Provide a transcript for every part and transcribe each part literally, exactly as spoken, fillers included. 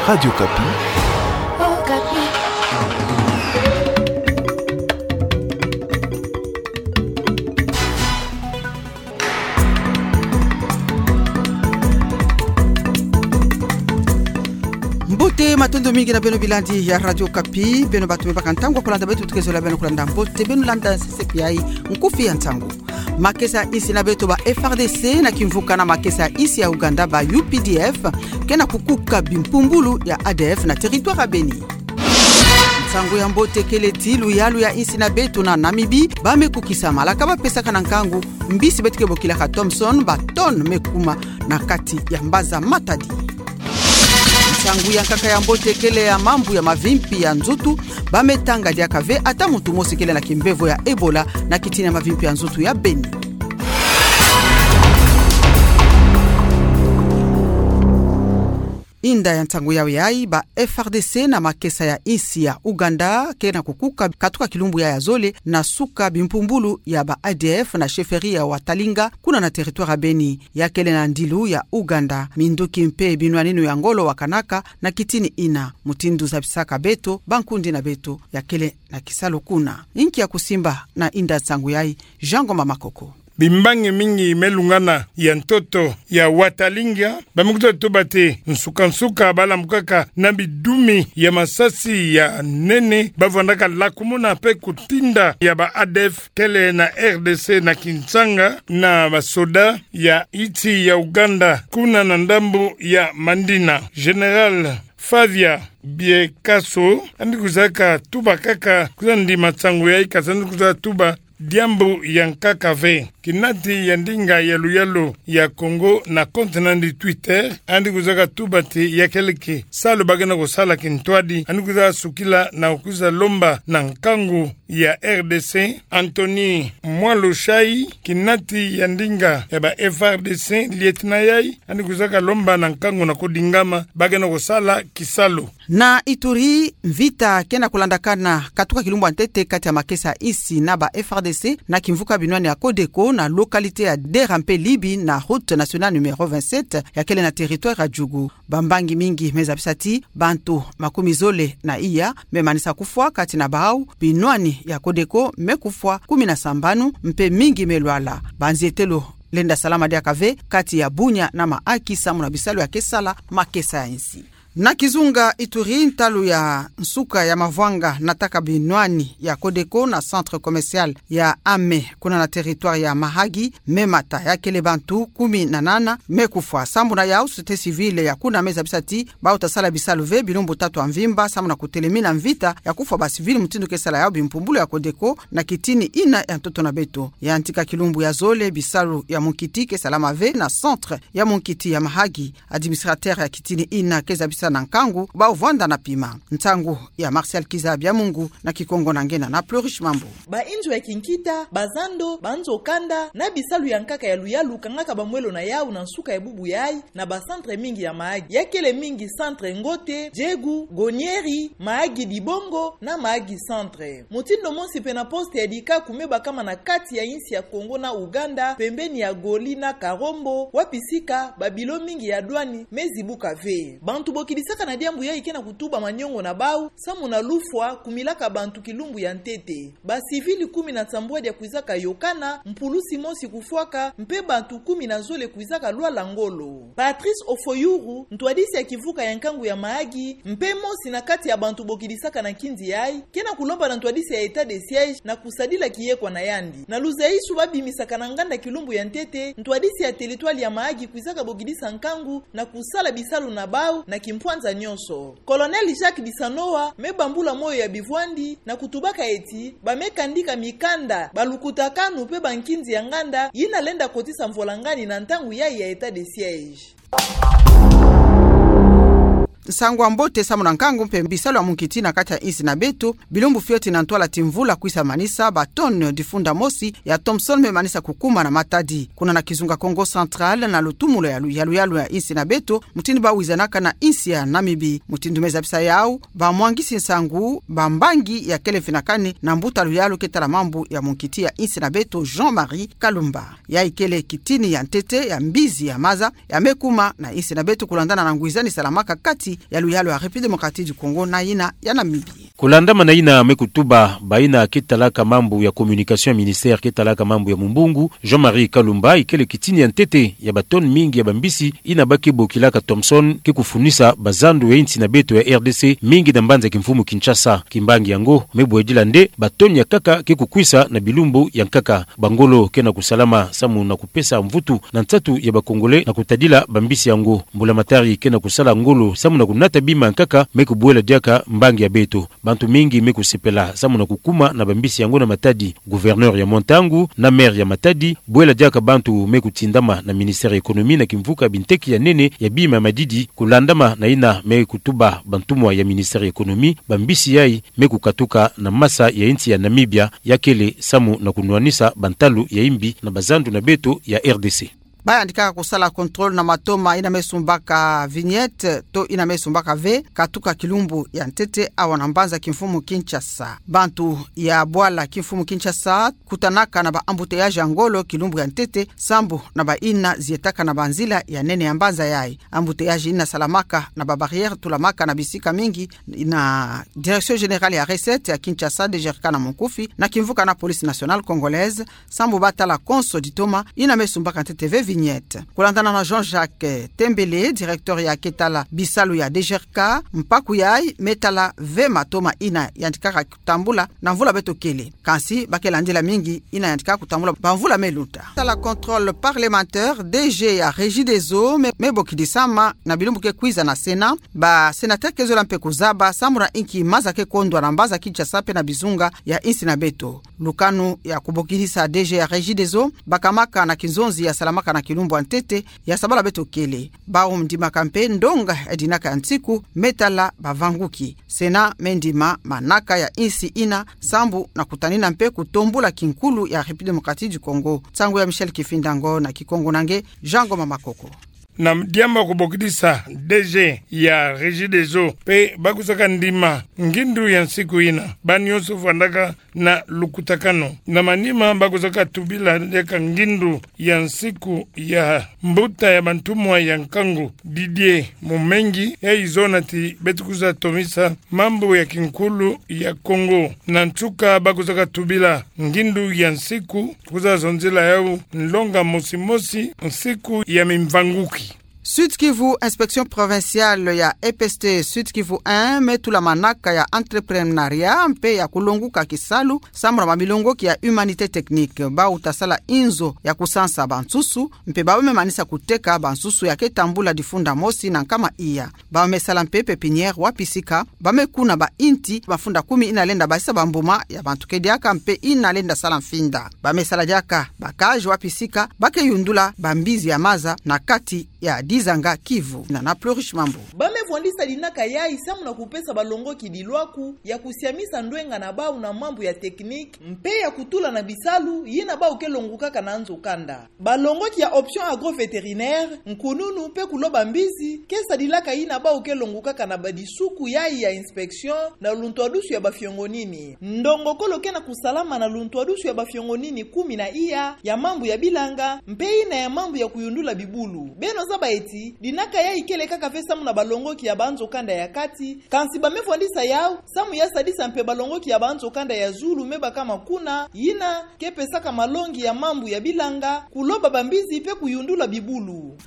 Radio Okapi. Mbote, matondo mingi na beno bilandi ya Radio Okapi, beno bato me baka ntangu ya kolanda beto, tukezola beno kolanda mbote, beno landa sesepi yayi nkufi ya nsangu. Makesa ya insi na beto, ba F R D C na kimvuka na makesa ya insi ya Ouganda, ba U P D F, ke na kukuka bimpumbulu ya A D F na territoire ya Beni. Nsangu ya mbote kele ti luyalu ya insi na beto na Namibie, ba me kukisa malaka ba pesaka na nkangu mbisi beto ke bokilaka Thomson, ba tonnes me kuma na kati ya mbaza Matadi. Nsangu ya nkaka ya mbote kele ya mambu ya mavimpi ya nzutu, ba me tanga diaka ve ata muntu mosi kele na kimbevo ya Ebola na kitini ya mavimpi ya nzutu ya Beni. Inda ya nsangu yawe yayi, ba F R D C na makesa ya insi ya Ouganda ke na kukuka katuka kilumbu yayi ya zole na suka bimpumbulu ya ba A D F na chefferie ya Watalinga, kuna na territoire ya Beni. Ya kele na ndilu ya Ouganda, minduki mpe binwani inu ya ngolo wakanaka na kitini ina, mutindu zabisaka beto bankundi na beto ya kele na kisalu kuna. Inki ya kusimba na inda nsangu yayi? Jean Ngoma Makoko. Bimbangi mingi me lungana ya ntoto ya Watalinga, ba me kwiza tuba ti nsuka-nsuka ba lambukaka na bidumi ya masasi ya nene, ba vandaka lakumuna mpe kutinda ya ba A D F kele na R D C na Kinshasa, na basoda ya insi ya Ouganda kuna na ndambu ya Mandina. Général Fabien Biekaso, yandi kwizaka tuba kaka, kwiza ndima nsangu yayi, kasi yandi kwiza tuba diambu ya nkaka ve. Kinati ya ndinga ya luyalu ya Congo na compte na yandi Twitter, yandi kwizaka tuba ti ya kele kisalu ba ke na kusala kintwadi, yandi kwiza sukila na kwiza lomba na nkangu ya R D C, Anthony Mwalo Shayi, kinati ya ndinga ya ba F R D C, lieutenant yayi, yandi kwizaka lomba na nkangu na kudingama ba ke na kusala kisalu. Na Ituri, mvita ke na kulandakana katuka kilumbu ya ntete kati ya makesa ya insi na ba F R D C na kimvuka binwani ya Codeco na localité ya Dera mpe Libi na route nationale numéro vingt-sept ya kele na territoire ya Djugu. Bambangi mingi me zabisa ti bantu makumi zole na iya me manisa kufwa, kati na bawu binwani ya Codeco me kufwa kumi na sambanu, mpe mingi me lwala. Banzietelo lenda salama diaka ve kati ya Bunia na Mahaki samu na bisalu ya ke sala makesa ya insi. Na kizunga Ituri, ntalu ya nsuka ya mavwanga nataka binwani ya Codeco na centre commercial ya Ame, kuna na territoire ya Mahagi, me mata, ya kele bantu kumi na nana me kufwa. Sambu na yawu, société civile ya kuna me zabisa ti bawu ta sala bisalu ve bilumbu tatu ya mvimba samu na kutelemina mvita ya kufwa ba civil mutindu ke sala yawu bimpumbulu ya Codeco na kitini ina ya ntoto na beto. Ya ntika kilumbu ya zole bisalu ya munkiti ke salama ve na centre ya munkiti ya Mahagi. Administrateur ya kitini ina ke zabisa na nkangu bawu vwanda na pima. Nsangu ya Martial Kiza Biamungu, na Kikongo na ngena na Plurish Mambu. Ba inzo ya kinkita, bazando, banzo kanda, na bisalu ya nkaka ya luyalu kangaka bamwelo na yawu na nsuka ya bubu yayi, na ba centre mingi ya Mahagi. Ya kele mingi centre Ngote, Djegu, Gonieri, Mahagi Dibongo, na Mahagi Centre. Mutindu mosi mpe na poste ya Dikaku me bakama na kati ya insi ya Congo na Ouganda, pembeni ya Goli na Karombo, wapi sika ba bilo mingi ya douane me zibuka ve. Bantu bokidisaka na diambu yayi ke na kutuba maniongo na bawu, samu na lufwa kumilaka bantu kilumbu ya ntete. Ba civil kumi na nsambwadi ya kwizaka yokana, mpulusi mosi kufwaka, mpe bantu kumi na zole kwizaka lwala ngolo. Patrice Ofoyourou, ntwadisi ya kivuka ya nkangu ya Mahagi, mpe mosi na kati ya bantu bokidisaka na nkinzi yayi, ke na kulomba na ntwadisi ya état de siège na kusadila kiyekwa na yandi. Na luzaisu ba bimisaka na nganda kilumbu ya ntete, ntwadisi ya territoire ya Mahagi kwizaka bokidisa nkangu na kusala bisalu na bawu na kimpwanza nyonso. Colonel Jacques Disanoa me bambula moyo ya bivwandi na kutubaka ti ba me kandika mikanda, balukutakanu mpe bankinzi ya nganda yina lenda kotisa mvwalangani na ntangu yayi ya état de siège. Nsangu ya mbote samu na nkangu mpe bisalu ya munkiti na kati ya insi na beto. Bilumbu fioti na ntwala ti mvula kwisa manisa, ba tonnes difunda mosi ya Thomson me manisa kukuma na Matadi. Kuna na kizunga Kongo Central, na lutumula ya lu-, ya luyalu ya insi na beto, mutindu ba wizanaka na insi ya Namibie. Mutindu me zabisa yawu bamwangisi nsangu, bambangi ya kele mfinakani na mbuta luyalu ke tala mambu ya munkiti ya insi na beto, Jean-Marie Kalumba. Yayi kele kitini ya ntete ya mbizi ya maza ya me kuma na insi na beto, kulandana na ngwizani salamaka kati ya luyalu ya République Démocratique du Congo na yina ya Namibie. Kulandamana yina me kutuba bayina ke talaka mambu ya communication ya ministère ke talaka mambu ya mumbungu, Jean-Marie Kalumba, ikele kitini ya ntete ya ba tonnes mingi ya bambisi yina ba ke bokilaka Thomson ke kufunisa bazandu ya insi na beto ya R D C, mingi na mbanza kimfumu Kinshasa. Kimbangi yango me bwedila nde ba tonnes ya nkaka ke kukwisa na bilumbu ya nkaka. Bangolo ke na kusalama samu na kupesa mvutu na nsatu ya ba Congolais na kutadila bambisi yango. Mbula Matari ke na kusala ngolo samu na kunata bima ya nkaka me kubwela diaka mbangi ya beto. Bantu mingi me kusepela samu na kukuma na bambisi yango na Matadi. Gouverneur ya mwa ntangu na maire ya Matadi, bwela diaka bantu me kutindama na ministère ya économie na kimvuka binteki ya nene ya bima ya madidi. Kulandamana yina me kutuba bantumwa ya ministère ya économie, bambisi yayi me kukatuka na masa ya insi ya Namibia, ya kele samu na kunwanisa bantalu ya imbi na bazandu na beto ya R D C. Ba yandikaka kusala contrôle na matoma yina me sumbaka vignette to yina me sumbaka ve, katuka kilumbu ya ntete awa na mbanza kimfumu Kinshasa. Bantu ya bwala kimfumu Kinshasa kutanaka na ba embouteillages ya ngolo kilumbu ya ntete sambu na bayina zietaka na banzila ya nene ya mbanza yayi. Embouteillages yina salamaka na ba barrières tulamaka na bisika mingi na Direction Générale ya Recettes ya Kinshasa, D G R K na munkufi, na kimvuka na Police Nationale Congolaise, sambu ba tala konso ditoma yina me sumbaka ntete ve vignette. Kulandana na Jean-Jacques Tembele, directeur ya ke tala bisalu ya D G R K, mpaku yayi me tala ve matoma yina yandikaka kutambula na mvula beto kele. Kansi ba ke landila mingi yina yandikaka kutambula bamvula me luta. Tala contrôle parlementaire, D G ya Regideso me, me bokidisama na bilumbu ke kwiza na Sénat. Ba sénateurs ke zola mpe kuzaba sambu na inki maza ke kondwa na mbanza Kinshasa mpe na bizunga ya insi na beto. Lukanu ya kubokidisa D G ya Regideso bakamaka na kinzonzi ya salamaka na kilumbu ya ntete ya sabala beto kele. Bau ndimaka mpe ndonga ya dinaka ya nsiku me tala bavanguki. Sénat me ndima manaka ya insi yina sambu na kutanina mpe kutombula kinkulu ya République Démocratique du Congo. Nsangu ya Michel Kifindango na Kikongo na nge Jean Ngoma Makoko. Na diambu ya kubokidisa D G ya Regideso mpe ba kwizaka ndima ngindu ya nsiku yina, ba nyonso vwandaka na lukutakanu. Na manima ba kwizaka tubila diaka ngindu ya nsiku ya mbuta ya bantumwa ya nkangu Didier Mumengi, yayi zona ti beto kwiza tomisa mambu ya kinkulu ya Congo. Na nsuka ba kwizaka tubila ngindu ya nsiku, kwiza zonzila yau nlonga mosi mosi, nsiku ya mimvanguki. Sud-Kivu, inspection provinciale ya E P S T Sud-Kivu un me tula manaka ya entrepreneuriat mpe ya kulonguka kisalu sambu na bamilongoki ya humanité technique. Bau ta sala inzo ya kusansa bansusu, mpe bau me manisa kuteka bansusu ya ke tambula difunda mosi na nkama iya. Bau me sala mpe pépinière wapi sika ba me kuna bainti mafunda kumi yina lenda basisa bambuma ya bantu ke diaka mpe yina lenda sala mfinda. Ba me sala diaka ba cage wapi sika ba ke yundula bambizi ya maza na kati ya Dizanga Kivu. Na na Plurish Mambu. Ba me vwandisa dinaka yayi samu na kupesa balongoki dilwaku ya kusiamisa ndwenga na bau na mambu ya technique mpe ya kutula na bisalu yina bau ke longukaka na nzo kanda. Balongoki ya option agro-vétérinaire, nkununu mpe kuloba mbizi ke sadilaka yina bau ke longukaka na badisuku yayi ya inspection na luntwadusu ya bafiongonini. Ndongokolo ke na kusalama na luntwadusu ya bafiongonini kumi na iya ya mambu ya bilanga mpe yina ya mambu ya kuyundula bibulu. Beno zaba ti dinaka yayi kele kaka ve samu na balongoki ya banzo kanda ya kati, kansi ba me vwandisa yau samu ya sadisa mpe balongoki ya banzo kanda ya zulu me bakama kuna, yina ke pesaka malongi ya mambu ya bilanga, kuloba bambizi mpe kuyundula bibulu.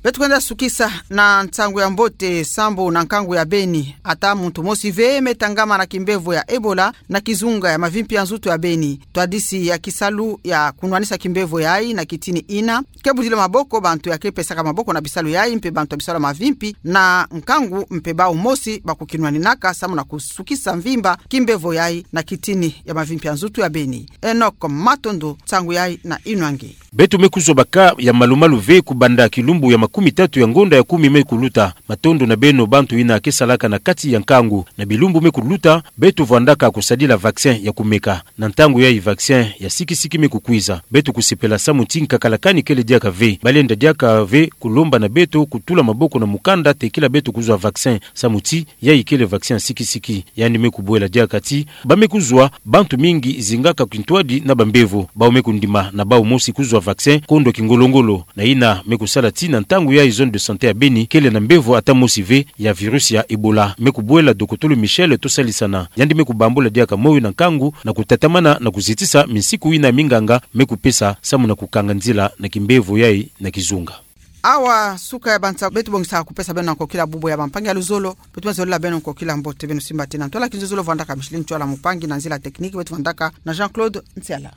Beto kwenda sukisa na nsangu ya mbote sambu na nkangu ya Beni. Ata muntu mosi ve me tangama na kimbevo ya Ebola na kizunga ya mavimpi ya nzutu ya Beni. Ntwadisi ya kisalu ya kunwanisa kimbevo yayi na kitini yina ke budila maboko bantu ya ke pesaka maboko na bisalu yayi mpe bantu ya bisalu ya mavimpi na nkangu mpe bau mosi ba kukinwaninaka samu na kusukisa mvimba kimbevo yayi na kitini ya mavimpi ya nzutu ya Beni. Enoch Matondo, nsangu yayi na inwa nge. Beto me kuzwa ba cas ya malu-malu ve kubanda kilumbu ya makumi tatu ya ngonda ya kumi me kuluta. Matondo na beno bantu yina ke salaka na kati ya nkangu. Na bilumbu me kuluta, beto vwandaka kusadila vaccin ya kumeka. Na ntangu yayi vaccin ya sikisiki me kukwiza. Beto kusepela samu ti nkakalakani kele diaka ve. Ba lenda diaka ve kulomba na beto kutula maboko na mukanda tekila beto kuzwa vaccin, samu ti yayi kele vaccin ya sikisiki. Yandi me kubwela diaka ti ba me kuzwa bantu mingi zingaka kintwadi na bambevo. Bau me kundima na bau mosi kuzwa vaccin, kondwa kingolo-ngolo, na yina me kusala tii na ntangu yayi zone de santé ya Beni kele na mbevo ata mosi ve ya virus ya Ebola. Me kubwela dokotolo Michel Tosalisa, yandi me kubambula diaka moyo na nkangu na kutatamana na kuzitisa minsiku yina minganga me kupesa samu na kukanga nzila na kimbevo yayi na kizunga. Awa suka ya bansa beto bongisaka kupesa beno na kokila bubu ya bampangi ya luzolo. Beto ma zolila beno kokila mbote, beno simba tina. Ntwala kinzozolo vandaka Micheline Tchouala, mupangi na nzila technique beto vandaka na Jean-Claude Nsiala.